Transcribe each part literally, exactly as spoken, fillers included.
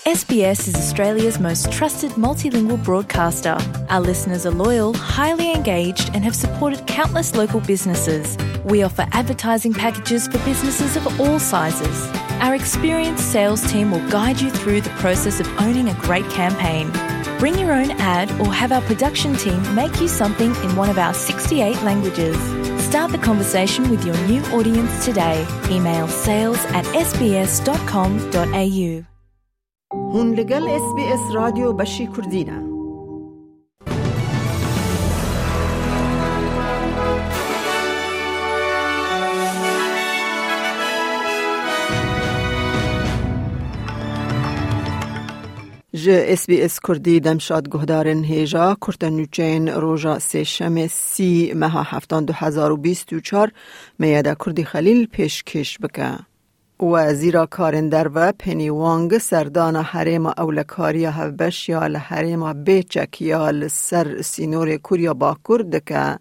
S B S is Australia's most trusted multilingual broadcaster. Our listeners are loyal, highly engaged, and have supported countless local businesses. We offer advertising packages for businesses of all sizes. Our experienced sales team will guide you through the process of owning a great campaign. Bring your own ad or have our production team make you something in one of our sixty-eight languages. Start the conversation with your new audience today. Email sales at S B S dot com dot A U. Hûn li gel S B S Radyo Beşî Kurdî ne. Ji S B S Kurdî demşad guhdarên hêja kurte nûçeyên roja sêşemê sî meha heftan du hezar û bîst û çar me yada Kurdî Xelîl pêşkêş bike. Wezîra Karên Derve Penny Wong serdana herêma ewlekariya hevbeş ya li herêma bêçek ya li ser sînorê Kurya Bakur dike.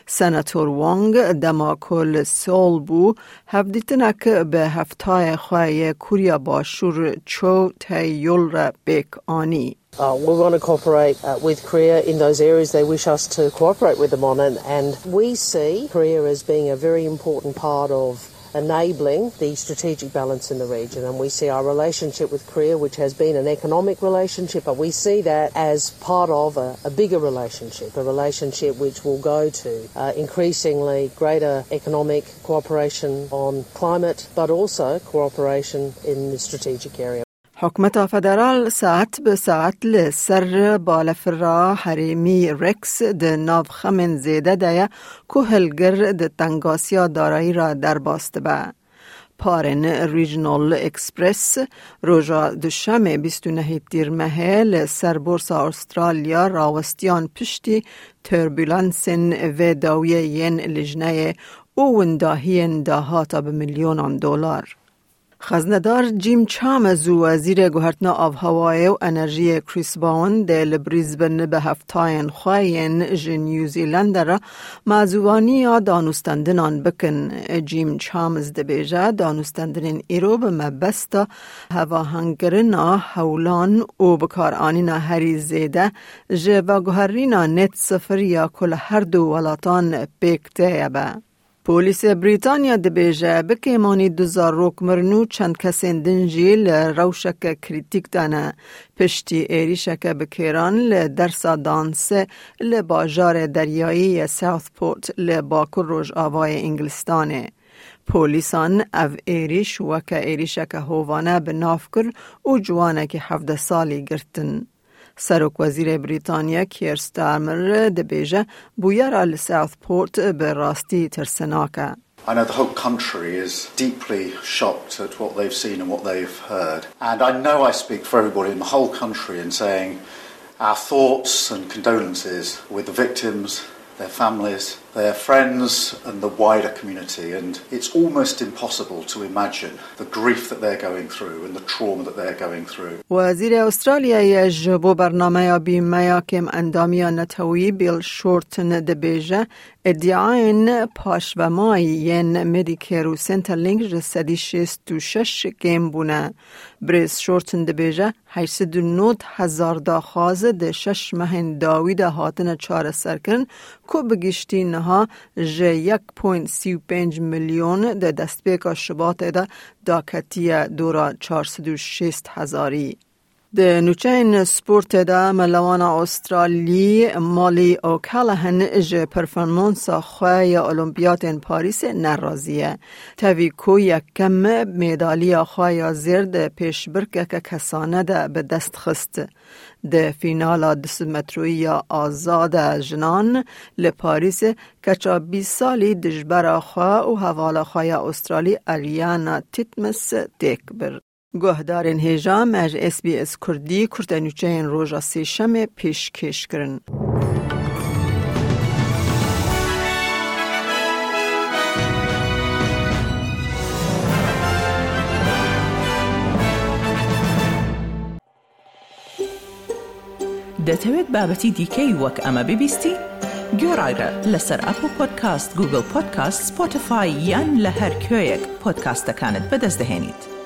Senator Wong dema ku li Seoul bû, hevdîtinek bi heftayê xwe yê Kurya Başûr Cho Tae-yul re pêk anî. Uh, we want to cooperate, uh, with Korea in those areas they wish us to cooperate with them on, and, and we see Korea as being a very important part of enabling the strategic balance in the region, and we see our relationship with Korea, which has been an economic relationship, but we see that as part of a, a bigger relationship, a relationship which will go to, uh, increasingly greater economic cooperation on climate, but also cooperation in the strategic area. Hikûmeta federal saet bi saet li ser balafira herêmî Rex di nav xemên zêde de ye ku hilgir di tengasiya darayî re derbas dibe. Parên Regional Express roja Duşemê bîst û nehê Tîrmehê li ser Borsa Australya rawestiyan piştî turbulensên vê dawiyê yên lijneyê û windahiyên dahata bi milyonan dolar. Xeznedar Jim Chalmers û Wezîrê Guhertina Avhewayê û Enerjiyê Chris Bowen dê li Brisbane bi heftayên xwe yên ji New Zealandê re mazûvaniya danûstendinan bikin. Jim Chalmers dibêje, danûstendinên îro bi mebesta hevahengkirina hewlan û bikaranîna herî zêde ji veguherîna net sifir ya ku li her du welatan pêk tê ye be. Polîsê Brîtanya dibêje, bi kêmanî du zarok mirin û çend kesên din jî li rewşeke krîtîk de ne, piştî êrîşeke bi kêran li dersa dansê li bajarê deryayî yê Southport li bakur rojavayê Îngilistanê. Polîsan ev êrîş weke êrîşeke hovane bi nav kir û ciwanekî hevdeh salî girtin. Serokwezîrê Brîtanya Keir Starmer dibêje, bûyera li Southport bi rastî tirsinak e. I know the whole country is deeply shocked at what they've seen and what they've heard. And I know I speak for everybody in the whole country in saying our thoughts and condolences with the victims, their families, their friends and the wider community, and it's almost impossible to imagine the grief that they're going through and the trauma that they're going through. Wezîrê Australyayê ji bo bernameya bîmeya kêmendamiya netewî Bill Shorten dibêje, îdiayên paşvemayî yên Medicare û Centrelink ji sedî şêst û şeş kêm bûne. Birêz Shorten dibêje, heyşt sed û nod hezar daxwaz di şeş mehên dawî de hatine çareserkirin, ku bi giştî niha ji yek point sî û pênc milyon di destpêka Şubatê de daketiye dora çar sed û şêst hezarî. Di nûçeyên sportê de melewana Australî Molly O'Callaghan ji performansa xwe ya Olimpiyatên Parîsê nerazî ye. Tevî ku yekem medaliya xwe ya zêr di pêşbirkeke kesane de bi dest xist. Di fînala du sed metroyî ya azad a jinan li Parîsê keça bîst salî dijbera xwe û hevala xwe ya Australî Ariana Titmus têk bir. Guhdarên hêja, me ji S B S Kurdî kurtenûçeyên roja sêşemê pêşkêş kirin. دەتەوێت بابەتی دیکەی وەک ئەمە ببیستی؟ گوێڕایرە لەسەر ئەپڵ پۆدکاست، گوگڵ پۆدکاست، سپۆتیفای یان لە هەر کوێیەک پۆدکاستەکانت بەدەست دەهێنیت.